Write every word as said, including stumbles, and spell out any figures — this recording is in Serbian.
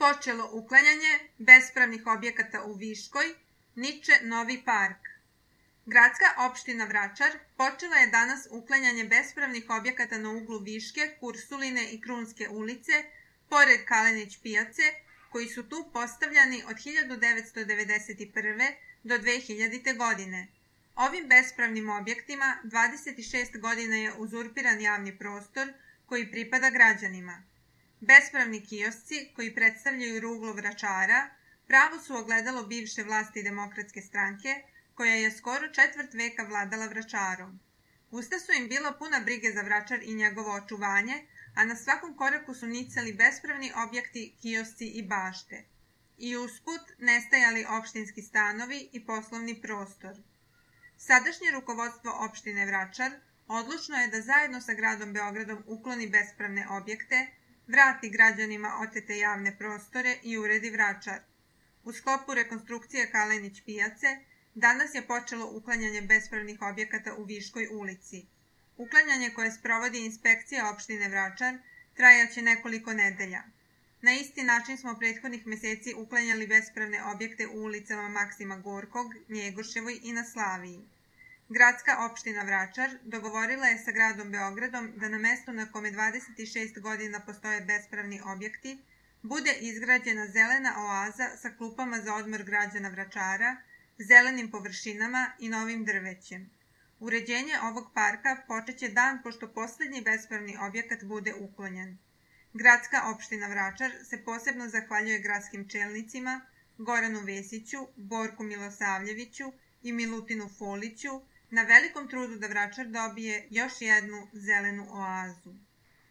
počelo uklanjanje bespravnih objekata u Viškoj, niče novi park. Gradska opština Vračar počela je danas uklanjanje bespravnih objekata na uglu Viške, Kursuline i Krunske ulice, pored Kalenić pijace, koji su tu postavljani od hiljadu devetsto devedeset prve. do dve hiljadite. godine. Ovim bespravnim objektima dvadeset šest godina je uzurpiran javni prostor koji pripada građanima. Bespravni kiosci, koji predstavljaju ruglo Vračara, pravo su ogledalo bivše vlasti Demokratske stranke, koja je skoro četvrt veka vladala Vračarom. Usta su im bila puna brige za Vračar i njegovo očuvanje, a na svakom koraku su nicali bespravni objekti, kiosci i bašte. I usput nestajali opštinski stanovi i poslovni prostor. Sadašnje rukovodstvo opštine Vračar odlučno je da zajedno sa gradom Beogradom ukloni bespravne objekte, vrati građanima otete javne prostore i uredi Vračar. U sklopu rekonstrukcije Kalenić pijace danas je počelo uklanjanje bespravnih objekata u Viškoj ulici. Uklanjanje koje sprovodi inspekcija opštine Vračar trajaće nekoliko nedelja. Na isti način smo prethodnih meseci uklanjali bespravne objekte u ulicama Maksima Gorkog, Njegoševoj i na Slaviji. Gradska opština Vračar dogovorila je sa gradom Beogradom da na mestu na kome dvadeset šest godina postoje bespravni objekti bude izgrađena zelena oaza sa klupama za odmor građana Vračara, zelenim površinama i novim drvećem. Uređenje ovog parka počeće dan pošto poslednji bespravni objekat bude uklonjen. Gradska opština Vračar se posebno zahvaljuje gradskim čelnicima Goranu Vesiću, Borku Milosavljeviću i Milutinu Foliću na velikom trudu da Vračar dobije još jednu zelenu oazu.